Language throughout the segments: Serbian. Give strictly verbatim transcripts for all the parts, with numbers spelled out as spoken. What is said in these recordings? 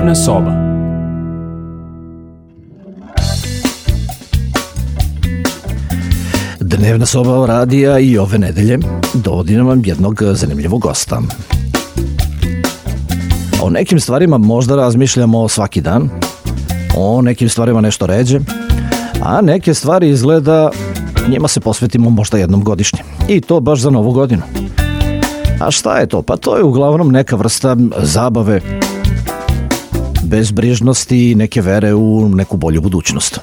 Dnevna soba. Dnevna soba radija i ove nedelje dovodi nam jednog zanimljivog gosta. O nekim stvarima možda razmišljamo svaki dan, o nekim stvarima nešto ređe, a neke stvari izgleda njima se posvetimo možda jednom godišnje. I to baš za novu godinu. A šta je to? Pa to je uglavnom neka vrsta zabave, bezbrižnosti i neke vere u neku bolju budućnost.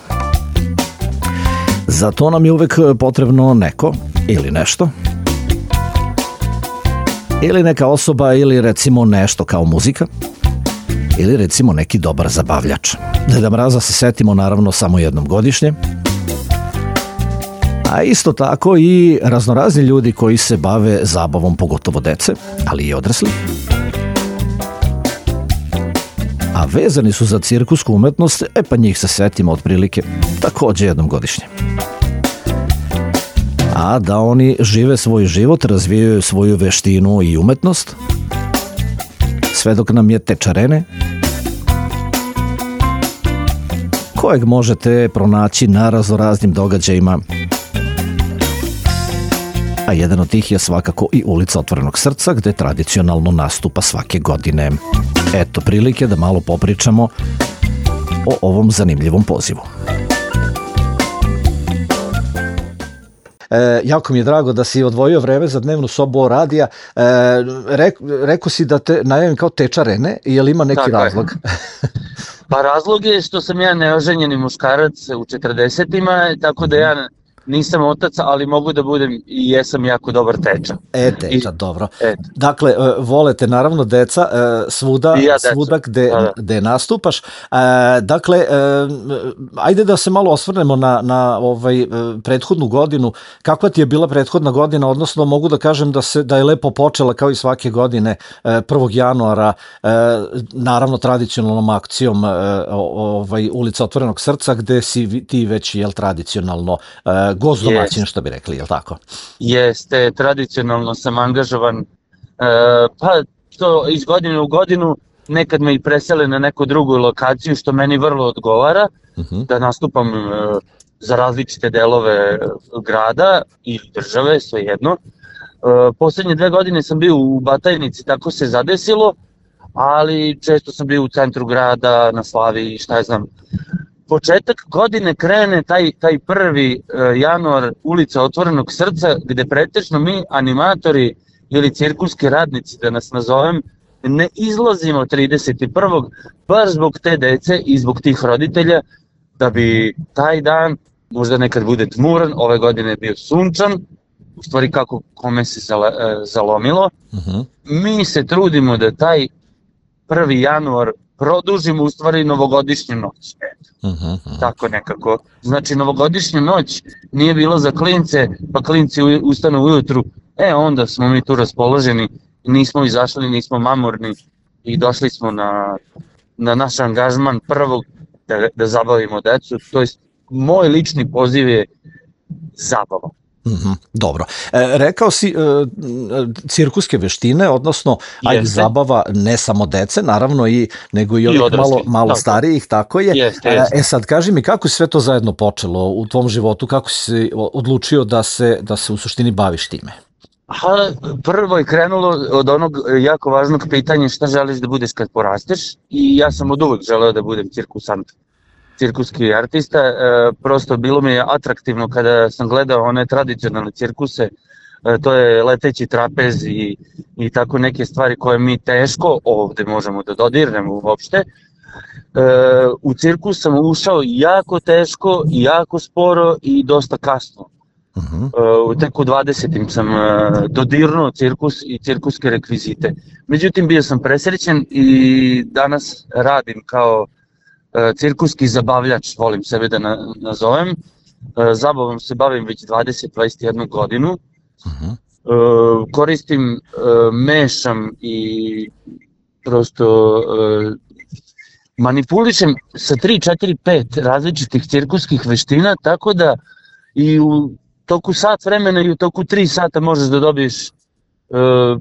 Za to nam je uvek potrebno neko ili nešto, ili neka osoba, ili recimo nešto kao muzika, ili recimo neki dobar zabavljač. Deda Mraza se setimo naravno samo jednom godišnje, a isto tako i raznorazni ljudi koji se bave zabavom, pogotovo dece, ali i odrasli. A vezani su za cirkusku umetnost, e pa njih se setimo otprilike takođe jednom godišnje. A da oni žive svoj život, razvijaju svoju veštinu i umetnost, sve dok nam je tečarene, kojeg možete pronaći na raznoraznim događajima, a jedan od tih je svakako i Ulica Otvorenog srca, gde tradicionalno nastupa svake godine. Eto prilike da malo popričamo o ovom zanimljivom pozivu. E, jako mi je drago da si odvojio vreme za dnevnu sobu radija. E, re, rekao si da te najavim kao tečarene, je li ima neki Tako razlog? Pa razlog je što sam ja neoženjeni muškarac u četrdesetima, tako da ja nisam otac, ali mogu da budem i jesam jako dobar teča. E, teča, I, dobro. Et. Dakle, volete naravno deca svuda, ja svuda gde, da, da. gde nastupaš. E, dakle, e, ajde da se malo osvrnemo na, na ovaj prethodnu godinu. Kakva ti je bila prethodna godina, odnosno mogu da kažem da, se, da je lepo počela kao i svake godine prvog januara, e, naravno tradicionalnom akcijom e, ovaj, Ulica Otvorenog srca, gde si ti već jel, tradicionalno e, gost domaćin, što bi rekli, je li tako? Jeste, tradicionalno sam angažovan, e, pa to iz godine u godinu, nekad me i presele na neku drugu lokaciju, što meni vrlo odgovara, uh-huh. da nastupam e, za različite delove grada ili države, svejedno. E, poslednje dve godine sam bio u Batajnici, tako se zadesilo, ali često sam bio u centru grada, na Slaviji, šta je znam. Početak godine krene taj, taj prvi uh, januar Ulica Otvorenog srca, gde pretečno mi animatori ili cirkuski radnici, da nas nazovem, ne izlazimo trideset prvog baš zbog te dece i zbog tih roditelja, da bi taj dan, možda nekad bude tmuran, ove godine je bio sunčan, u stvari kako kome se zala, uh, zalomilo. Uh-huh. Mi se trudimo da taj prvi januar produžimo u stvari novogodišnju noć. Uh-huh, uh-huh. Tako nekako. Znači novogodišnja noć nije bilo za klince, pa klinci ustanu ujutru, e onda smo mi tu raspoloženi, nismo izašli, nismo mamurni i došli smo na, na naš angažman prvog da, da zabavimo decu. To jest moj lični poziv je zabava. Mm-hmm, dobro. E, rekao si e, cirkuske veštine, odnosno ajde zabava ne samo dece, naravno i nego i ovih I malo, malo tako. Starijih, tako je. Jeste, jeste. E sad kaži mi kako je sve to zajedno počelo u tvom životu, kako si se odlučio da se, da se u suštini baviš time? Aha, prvo je krenulo od onog jako važnog pitanja šta želiš da budeš kad porasteš i ja sam od uvek želeo da budem cirkusant. Cirkuski artista, e, prosto bilo mi je atraktivno kada sam gledao one tradicionalne cirkuse, e, to je leteći trapez i, i tako neke stvari koje mi teško ovde možemo da dodirnemo uopšte. E, u cirkus sam ušao jako teško, jako sporo i dosta kasno. Uh-huh. E, tek u dvadesetim sam e, dodirnuo cirkus i cirkuske rekvizite. Međutim, bio sam presrećen i danas radim kao cirkuski zabavljač, volim sebe da na, nazovem. Zabavom se bavim već dvadeset do dvadeset jednu godinu. Uh-huh. Koristim, mešam i prosto manipulišem sa tri, četiri, pet različitih cirkuskih veština, tako da i u toku sat vremena i u toku tri sata možeš da dobiješ uh,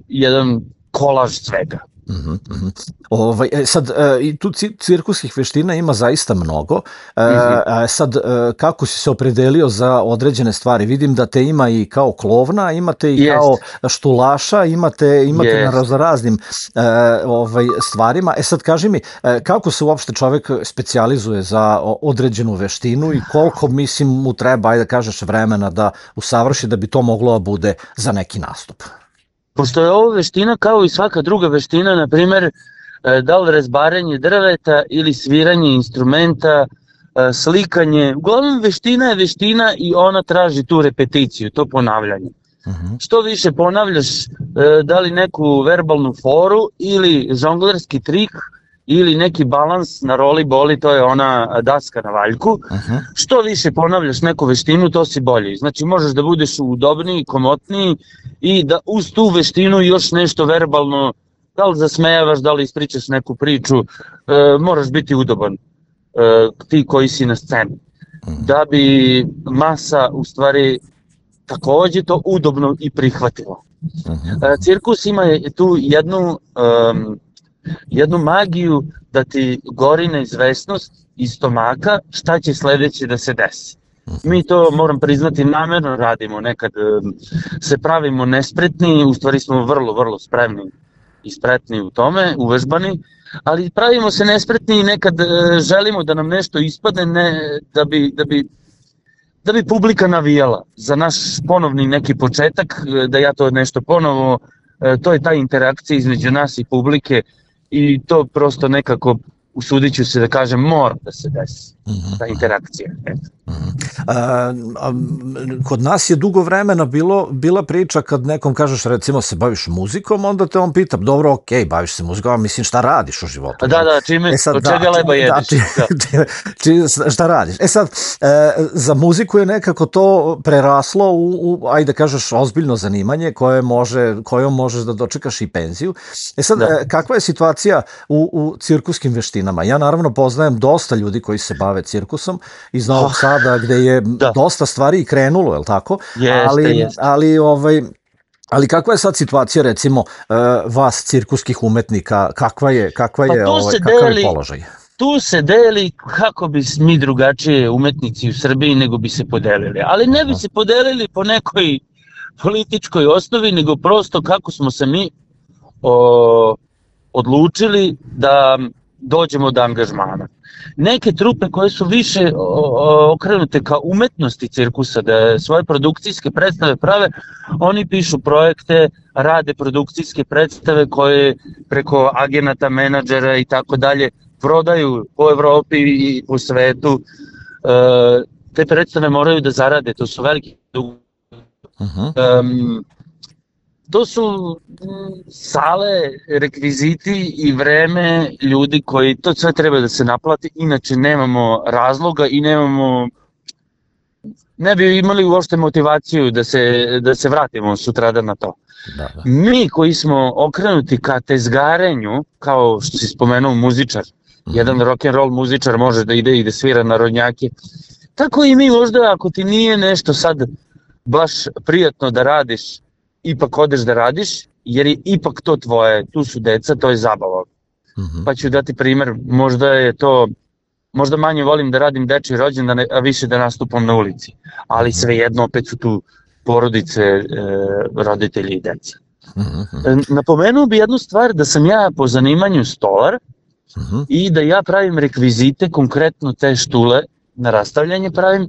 jedan kolaž svega. Mhm, mhm. Ovaj, e, sad, e, i tu ci- cirkuskih veština ima zaista mnogo. E, Mhm. a sad, e, kako si se opredelio za određene stvari? Vidim da te ima i kao klovna, imate i kao Jest, štulaša, imate, imate na jest. raznoraznim e, ovaj, stvarima. E sad, kaži mi, e, kako se uopšte čovek specijalizuje za o- određenu veštinu i koliko, mislim, mu treba, ajde da kažeš, vremena da usavrši da bi to moglo da bude za neki nastup? Pošto je ovo veština kao i svaka druga veština, na primjer, e, da li rezbarenje drveta ili sviranje instrumenta, e, slikanje, uglavnom veština je veština i ona traži tu repeticiju, to ponavljanje. Mhm. Što više ponavljaš, e, da li neku verbalnu foru ili žonglerski trik ili neki balans na roli boli, to je ona daska na valjku. Mhm. Što više ponavljaš neku veštinu, to si bolji. Znači možeš da budeš udobniji, komotniji i da uz tu veštinu još nešto verbalno, da li zasmejavaš, da li ispričaš neku priču, e, moraš biti udoban, e, ti koji si na sceni. Da bi masa u stvari takođe to udobno i prihvatilo. E, cirkus ima tu jednu, um, jednu magiju da ti gori neizvesnost iz stomaka šta će sledeće da se desi. Mi to, moram priznati, namerno radimo, nekad um, se pravimo nespretni, u stvari smo vrlo, vrlo spremni i spretni u tome, uvežbani, ali pravimo se nespretni i nekad uh, želimo da nam nešto ispadne, ne, da bi, da bi da bi publika navijala za naš ponovni neki početak, da ja to nešto ponovo, to je ta interakcija između nas i publike i to prosto nekako, usudit ću se da kažem, mora da se desi, ta interakcija. Eto. A, a, kod nas je dugo vremena bilo, bila priča kad nekom kažeš recimo se baviš muzikom, onda te on pita, dobro, okej, okay, baviš se muzikom, a mislim šta radiš u životu? Da, da, čime, e sad, od čega da, leba jedeš? Da, či, či, šta radiš? E sad, e, za muziku je nekako to preraslo u, u ajde kažeš, ozbiljno zanimanje koje može, kojom možeš da dočekaš i penziju. E sad, da. Kakva je situacija u, u cirkuskim veštinama? Ja naravno poznajem dosta ljudi koji se bave cirkusom iz Novog Sada, gde je da. dosta stvari krenulo, je li tako? Jeste, ali, jeste. Ali, ovaj, ali kakva je sad situacija, recimo, vas cirkuskih umetnika, kakva je, kakva je, pa ovaj, kakav je položaj? Tu se deli kako bi mi drugačije umetnici u Srbiji nego bi se podelili. Ali ne bi se podelili po nekoj političkoj osnovi, nego prosto kako smo se mi o, odlučili da dođemo do angažmana. Neke trupe koje su više okrenute ka umetnosti cirkusa, da svoje produkcijske predstave prave, oni pišu projekte, rade produkcijske predstave koje preko agenata, menadžera i tako dalje prodaju po Evropi i po svetu. Te predstave moraju da zarade, to su veliki uh-huh. um, to su sale, rekviziti i vreme ljudi koji, to sve treba da se naplati, inače nemamo razloga i nemamo, ne bi imali uopšte motivaciju da se, da se vratimo sutradan na to. Da, da. Mi koji smo okrenuti ka tezgarenju, kao što si spomenuo muzičar, mm-hmm. jedan rock'n'roll muzičar može da ide i da svira narodnjake, tako i mi možda ako ti nije nešto sad baš prijatno da radiš, ipak odeš da radiš, jer je ipak to tvoje, tu su deca, to je zabava. Mm-hmm. Pa ću dati primer, možda je to, možda manje volim da radim dečji rođendan, a više da nastupam na ulici, ali svejedno opet su tu porodice, e, roditelji i deca. Mm-hmm. Napomenuo bi jednu stvar, da sam ja po zanimanju stolar mm-hmm. i da ja pravim rekvizite, konkretno te štule na rastavljanje pravim, e,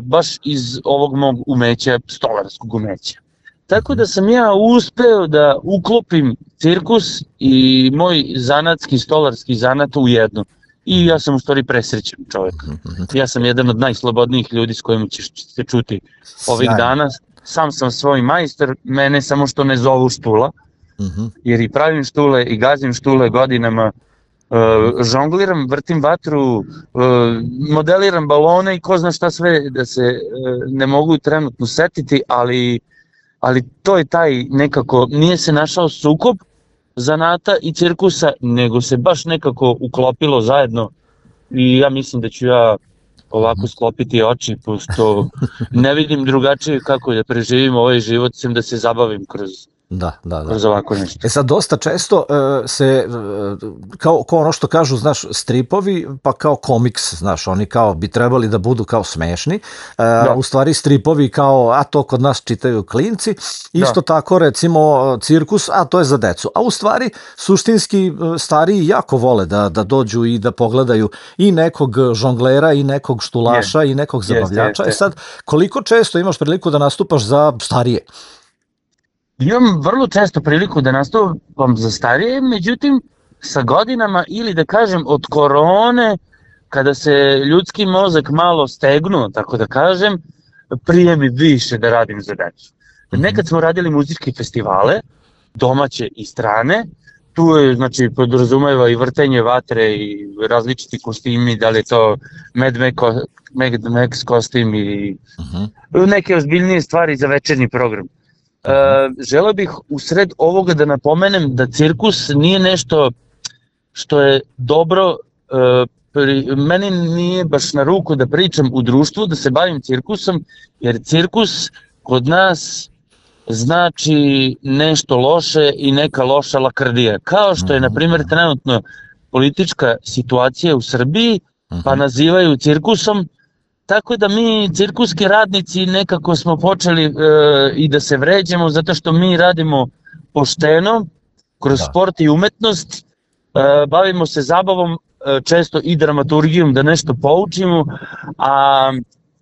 baš iz ovog mog umeća, stolarskog umeća. Tako da sam ja uspeo da uklopim cirkus i moj zanatski, stolarski zanat u jedno. I ja sam u stvari presrećen čovjek. Ja sam jedan od najslobodnijih ljudi s kojim ćeš se čuti ovih dana. Sam sam svoj majstor, mene samo što ne zovu štula, jer i pravim štule i gazim štule godinama, uh, žongliram, vrtim vatru, uh, modeliram balone i ko zna šta sve, da se uh, ne mogu trenutno setiti, ali, ali to je taj nekako, nije se našao sukob zanata i cirkusa, nego se baš nekako uklopilo zajedno i ja mislim da ću ja ovako sklopiti oči, pošto ne vidim drugačije kako da preživim ovaj život, sem da se zabavim kroz Da, da, da. Kroz ovako nešto. E sad, dosta često uh, se, uh, kao, kao ono što kažu, znaš, stripovi, pa kao komiks, znaš, oni kao bi trebali da budu kao smešni, uh, u stvari stripovi kao, a to kod nas čitaju klinci, isto da. Tako, recimo, cirkus, a to je za decu. A u stvari, suštinski, stariji jako vole da, da dođu i da pogledaju i nekog žonglera, i nekog štulaša, je. I nekog zabavljača. Je, je, je. E sad, koliko često imaš priliku da nastupaš za starije? Imam vrlo često priliku da nastupam za starije, međutim sa godinama ili da kažem od korone, kada se ljudski mozak malo stegnuo, tako da kažem, prije mi više da radim za decu. Nekad smo radili muzičke festivale, domaće i strane, tu je, znači, podrazumeva i vrtenje vatre i različiti kostimi, da li je to Mad Max, Mad Max kostim i uh-huh. neke ozbiljnije stvari za večernji program. Uh, želeo bih u sred ovoga da napomenem da cirkus nije nešto što je dobro, uh, pri, meni nije baš na ruku da pričam u društvu, da se bavim cirkusom, jer cirkus kod nas znači nešto loše i neka loša lakrdija. Kao što je, na primjer, trenutno politička situacija u Srbiji, pa nazivaju cirkusom, tako da mi cirkuski radnici nekako smo počeli e, i da se vređamo zato što mi radimo pošteno, kroz da. Sport i umetnost, e, bavimo se zabavom, e, često i dramaturgijom da nešto poučimo, a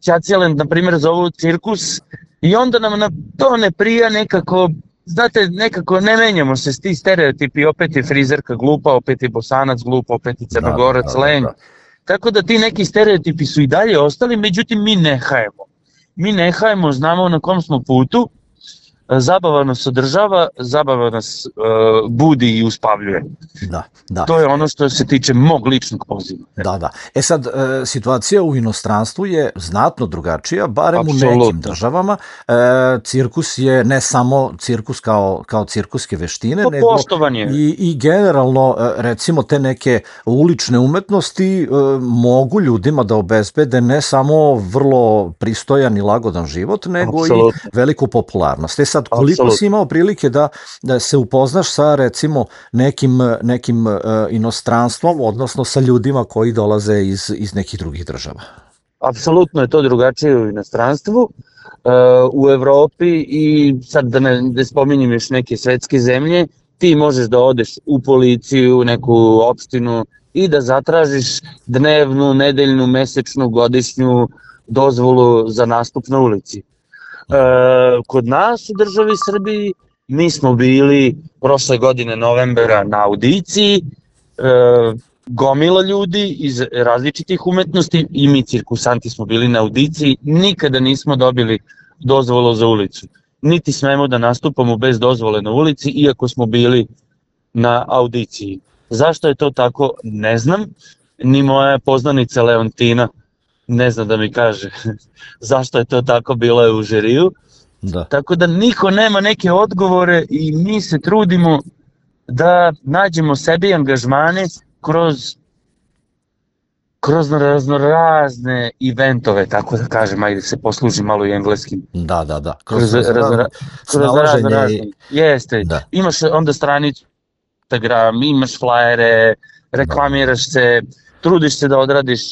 Ćacijelend, na primjer, zovu cirkus i onda nam na to ne prija nekako, znate, nekako ne menjamo se s ti stereotipi, opet je frizerka glupa, opet je Bosanac glupa, opet je Crnogorac, da, da, da, lenj. Da. Tako da ti neki stereotipi su i dalje ostali, međutim mi ne hajemo. Mi ne hajemo, znamo na kom smo putu, zabava nas održava, zabava nas uh, budi i uspavljuje. Da, da. To je ono što se tiče mog ličnog poziva. Da, da. E sad, e, situacija u inostranstvu je znatno drugačija, barem Absolutno. U nekim državama. E, cirkus je ne samo cirkus kao, kao cirkuske veštine, to nego i, i generalno, recimo, te neke ulične umetnosti e, mogu ljudima da obezbede ne samo vrlo pristojan i lagodan život, nego Absolutno. I veliku popularnost. E sad, koliko Absolutno. Si imao prilike da, da se upoznaš sa, recimo, nekim, nekim uh, inostranstvom, odnosno sa ljudima koji dolaze iz, iz nekih drugih država? Apsolutno je to drugačije u inostranstvu, uh, u Evropi i sad da ne da spominjem još neke svetske zemlje, ti možeš da odeš u policiju, neku opštinu i da zatražiš dnevnu, nedeljnu, mesečnu, godišnju dozvolu za nastup na ulici. E, kod nas u državi Srbiji mi smo bili prošle godine novembra na audiciji, e, gomila ljudi iz različitih umetnosti i mi cirkusanti smo bili na audiciji, nikada nismo dobili dozvolu za ulicu, niti smemo da nastupamo bez dozvole na ulici iako smo bili na audiciji. Zašto je to tako, ne znam, ni moja poznanica Leontina ne zna da mi kaže zašto je to tako, bilo je u žiriju. Da. Tako da niko nema neke odgovore i mi se trudimo da nađemo sebi angažmane kroz kroz raznorazne eventove, tako da kažem, ajde se posluži malo i engleskim. Da, da, da. Kroz, kroz, razno, kroz raznorazne. I... Jeste, da. Imaš onda stranicu Instagram, imaš flajere, reklamiraš se, trudiš se da odradiš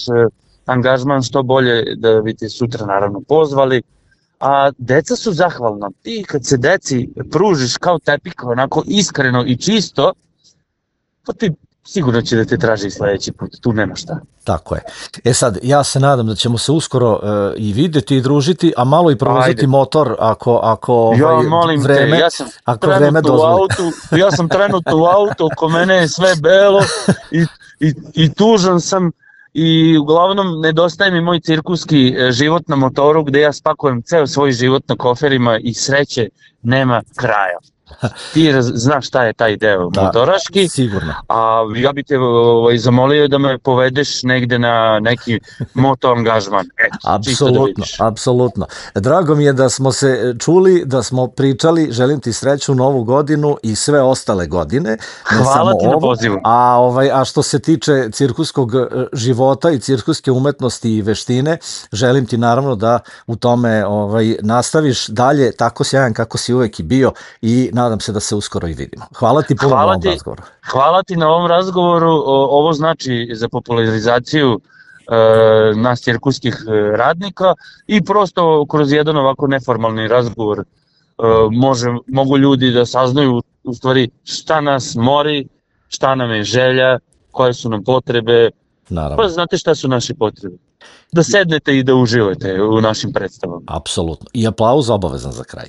angažman što bolje da bi te sutra naravno pozvali, a deca su zahvalna. Ti kad se deci pružiš kao tepika, onako iskreno i čisto, pa ti sigurno će da te traži sledeći put, tu nema šta. Tako je. E sad, ja se nadam da ćemo se uskoro uh, i videti i družiti, a malo i provoziti Ajde. Motor ako, ako ovaj, ja, molim vreme, te, ja sam ako vreme dozvoli. Autu, ja sam trenutno u autu, oko mene je sve belo i, i, i tužan sam. I uglavnom nedostaje mi moj cirkuski život na motoru gde ja spakujem ceo svoj život na koferima i sreće nema kraja. Ti raz, znaš šta je taj deo da, motoraški, sigurno. A ja bi te ovaj, zamolio da me povedeš negde na neki moto angažman. Eto, apsolutno, da apsolutno. Drago mi je da smo se čuli, da smo pričali, želim ti sreću novu godinu i sve ostale godine. Hvala ti na pozivu. A, ovaj, a što se tiče cirkuskog života i cirkuske umetnosti i veštine, želim ti naravno da u tome ovaj, nastaviš dalje tako sjajan kako si uvek i bio i nadam se da se uskoro i vidimo. Hvala ti puno hvala na ovom ti, razgovoru. Hvala ti na ovom razgovoru, o, ovo znači za popularizaciju e, nas cirkuskih radnika i prosto kroz jedan ovako neformalni razgovor e, može, mogu ljudi da saznaju u stvari šta nas mori, šta nam je želja, koje su nam potrebe. Naravno. Pa znate šta su naše potrebe? Da sednete i da uživate u našim predstavama. Apsolutno. I aplauz obavezan za kraj.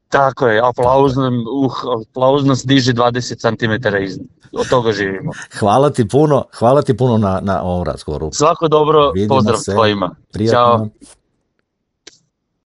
Tako je, aplauz, nam, uh, aplauz nas diže dvadeset centimetara iznad. Od toga živimo. Hvala ti puno, hvala ti puno na, na ovom razgovoru. Svako dobro, vidimo pozdrav se. Tvojima. Prijatno. Ćao.